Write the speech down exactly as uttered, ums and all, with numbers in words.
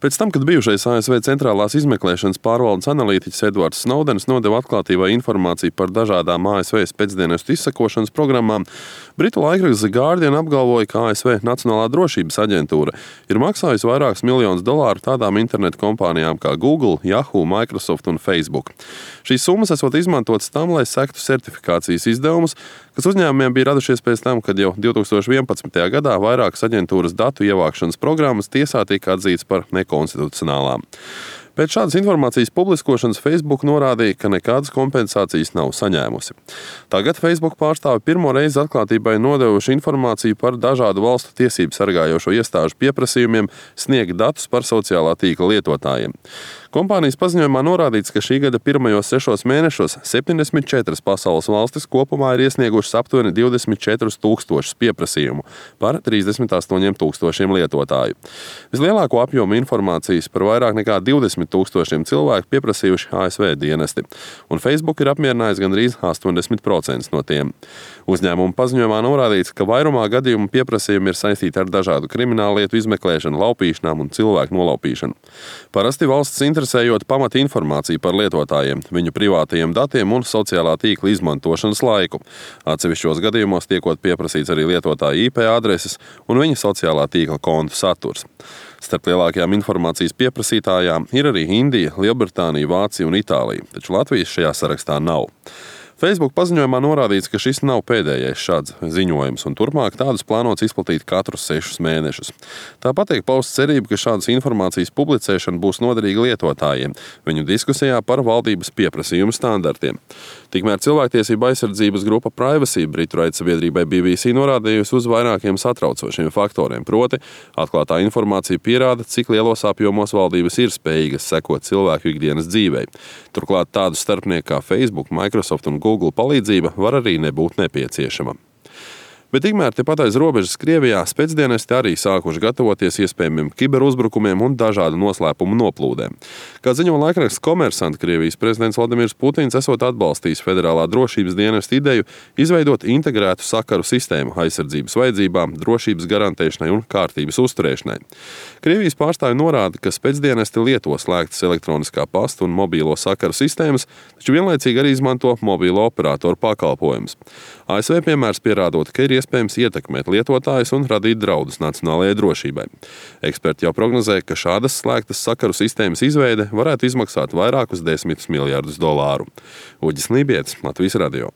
Pēc tam, kad bijušais A S V centrālās izmeklēšanas pārvaldes analītiķis Edvards Snowdens nodeva atklātībai informāciju par dažādām A S V spēcdienestu izsekošanas programmām, britu laikraksts The Guardian apgalvoja, ka A S V Nacionālā drošības aģentūra ir maksājusi vairākus miljonus dolāru tādām internetu kompānijām kā Google, Yahoo, Microsoft un Facebook. Šīs summas esot izmantotas tam, lai sektu certifikācijas izdevumus, kas uzņēmumiem bija radušies pēc tam, kad jau divtūkstoš vienpadsmitajā gadā vairākas aģentūras datu ievākšanas programmas tiesā tika atzītas par nekonstitucionālām. Pēc šādas informācijas publiskošanas Facebook norādīja, ka nekādas kompensācijas nav saņēmusi. Tagad Facebook pārstāvi pirmo reizi atklātībai nodevuši informāciju par dažādu valstu tiesību sargājošo iestāžu pieprasījumiem sniegt datus par sociālā tīkla lietotājiem. Kompānijas paziņojumā norādīts, ka šī gada pirmajos sešos mēnešos septiņdesmit četras pasaules valstis kopumā ir iesniegušas aptuveni divdesmit četrus tūkstošus pieprasījumu par trīsdesmit astoņiem tūkstošiem lietotāju. Vislielāko apjomu informācijas par vairāk nekā divdesmit tūkstošiem cilvēku pieprasījuši A S V dienesti, un Facebook ir apmierinājis gandrīz astoņdesmit procentus no tiem. Uzņēmuma paziņojumā norādīts, ka vairumā gadījumu pieprasījumi ir saistīti ar dažādu kriminālu lietu izmeklēšanu, laupīšanām un cilvēku nolaupīšanu. Parasti valsts interesējot pamata informāciju par lietotājiem, viņu privātajiem datiem un sociālā tīkla izmantošanas laiku. Atsevišķos gadījumos tiekot pieprasīts arī lietotāja I P adreses un viņa sociālā tīkla kontu saturs. Starp lielākajām informācijas pieprasītājām ir arī Indija, Lielbritānija, Vācija un Itālija, taču Latvijas šajā sarakstā nav. Facebook paziņojumā norādīts, ka šis nav pēdējais šāds ziņojums, un turpmāk tādus plānots izplatīt katrus sešus mēnešus. Tāpat tiek pausta cerība, ka šādas informācijas publicēšana būs noderīga lietotājiem viņu diskusijā par valdības pieprasījumu standartiem. Tikmēr cilvēktiesība aizsardzības grupa Privacy britu raidsabiedrībai B B C norādījusi uz vairākiem satraucošiem faktoriem, proti atklātā informācija pierāda, cik lielos apjomos valdības ir spējīgas sekot cilvēku ikdienas dzīvei. Turklāt tādu starpnieku kā Facebook, Microsoft un Google palīdzība var arī nebūt nepieciešama. Bet tikmēr tepat aiz robežas Krievijā spēcdienesti arī sākuši gatavoties iespējamiem kiberuzbrukumiem un dažādu noslēpumu noplūdēm. Kā ziņo laikraksts Komersant, Krievijas prezidents Vladimirs Putins esot atbalstījis federālā drošības dienesta ideju izveidot integrētu sakaru sistēmu aizsardzības vajadzībām, drošības garantēšanai un kārtības uzturēšanai. Krievijas pārstāvi norāda, ka spēcdienesti lieto slēgtas elektroniskā pasta un mobīlo sakaru sistēmas, taču vienlaicīgi arī izmanto mobīlo operatoru pakalpojumus. A S V piemērs pierādot, ka ir iespējams ietekmēt lietotājus un radīt draudus nacionālajai drošībai. Eksperti jau prognozē, ka šādas slēgtas sakaru sistēmas izveide varētu izmaksāt vairākus desmitus miljardus dolāru. Uģis Lībietis, Latvijas radio.